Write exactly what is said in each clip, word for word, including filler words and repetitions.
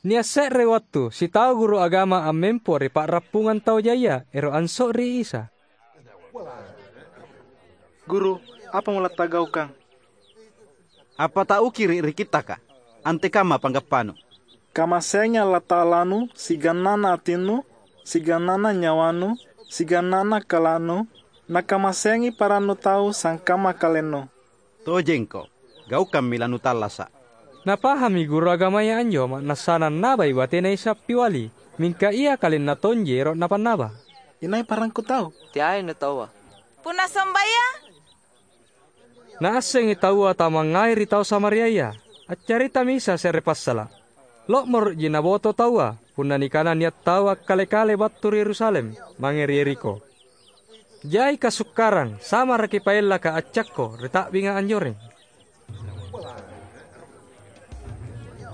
Nia' se're wattu sitau guru agama ammempo ri pa'rappungang tau jaia ero' anso'ri Isa. "Guru, apa mulatagaukang?" "Appatauki ri, ri Kittaka. Antekamma panggappanu?" "Kamaseangi Allata'alanu siagang ana' atinnu, siagang ana' nyawanu, siagang ana' kala'nu, nakamaseangi parannu tau sangkamma kalennu." "Tojengko, gaukammi lanutallasa'." Napahammi guru agamaya anjo ma'nassana annabai batena Isa appiali, mingka ia kalenna tonji ero' napannaba. "Inai parangku tau?" "Teai nutaua." "Punna sombayang?" Naassengi taua tau mangngai ri tau Samariaya. Accaritami Isa se're passala'. Lo'moro'ji naboto taua punna nikana nia' tau akkale-kale battu ri Yerusalem mange ri Yerikho. Jai kasukkarang, samaraki paellaka accakko ri ta'binga anjoreng.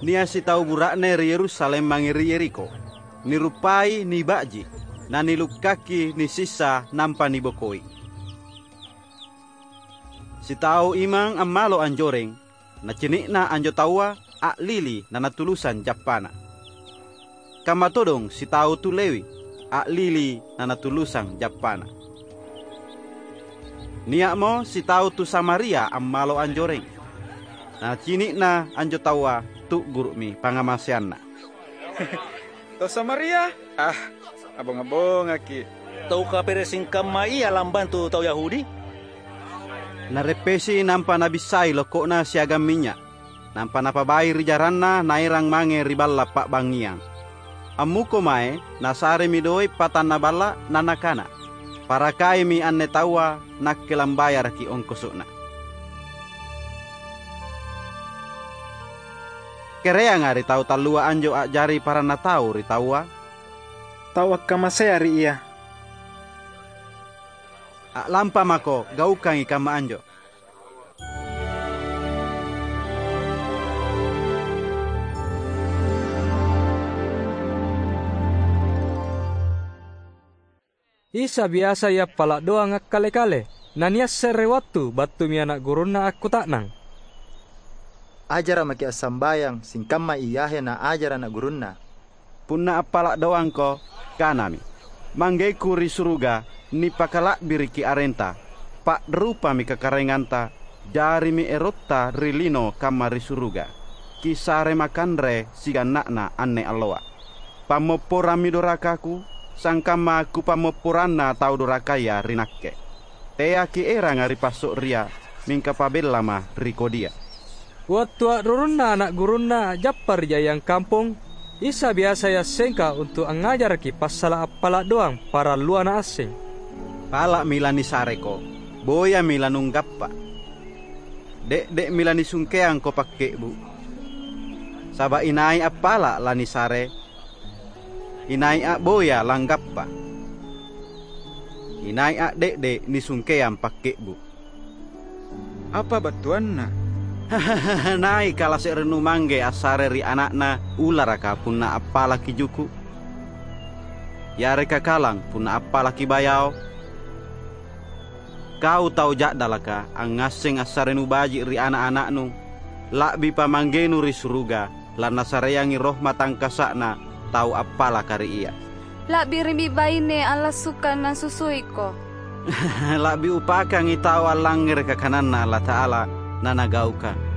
Nia' sitau bura'ne ri Yerusalem mange ri Yerikho. Niruppai niba'ji, nanilukkakki nisissa nampa nibokoi. Sitau imang ammalo anjoreng, nacini'na anjo taua a'lili nanatulusang jappana. Kamma todong sitau tu Lewi, a'lili nanatulusang jappana. Nia'mo sitau tu Samaria ammalo anjoreng. Nacini'na anjo taua tu'guru'mi pangngamaseanna. "Tau Samaria? Ah, abonga-bongaki'. Tau kapere' singkamma ia lambantu tau Yahudi?" Nareppesi nampa nabissai lokko'na siagang minynya'. Nampa napabai ri jaranna naerang mange ri balla' pa'bangngiang. Ammuko mae, nasaremi doe' patanna balla', na nakana, "Parakaimi anne taua, nakke lambayaraki ongkoso'na." Kereanga ri tau tallua anjo a'jari paranna tau ri taua, "Tau akkamasea ri Ia." "A'lampa mako, gaukangi kamma anjo." Isa biasai appala' doang akkale-kale. Na nia' se're wattu battumi ana' gurunNa akkuta'nang, "Ajara' maki' assambayang singkamma Yahya naajara' ana' gurunNa." "Punna appala' doangko, kanami, 'ManggeKu ri suruga, nipakala'biriki arengta, pa'rupami kakaraenganta, jarimi erotta ri lino kamma ri suruga. Kisare makanre siganna'na anne alloa. Pammopporammi dorakaKu, sangkamma Kupammopporanna tau dorakaya ri Nakke. Teaki' eranga ri passo'ria, mingka pabellama ri kodia.'" Wattu a'rurunna ana' gurunNa a'jappa ri jaiang kampong, Isa biasai assengka untu' angngajaraki passala' appala' doang parallua Naasseng. "Pala'mi lanisareko, boyami lanunggappa. De'de'mi lanisungkeangko pakke'bu'. Saba' inai appala' lanisare, inai a'boya langgappa. Inai a'de'de' nisungkeang pakke'bu'." "Apa battuanna?" "Nai kala se'reNu mangge assare ri ana'na ularaka punna appalaki juku'? Yareka kalang punna appalaki bayao? Kau tau ja'dalaka, angngasseng assareNu baji' ri ana'-ana'nu, la'bipa ManggeNu ri suruga lanNasareangi roh matangkasa'Na tau appalaka ri Ia." "La'birimi baine allassukang nasusuiko." "La'bi upakangi tau allangngereka kananNa Allata'ala nanagaukang."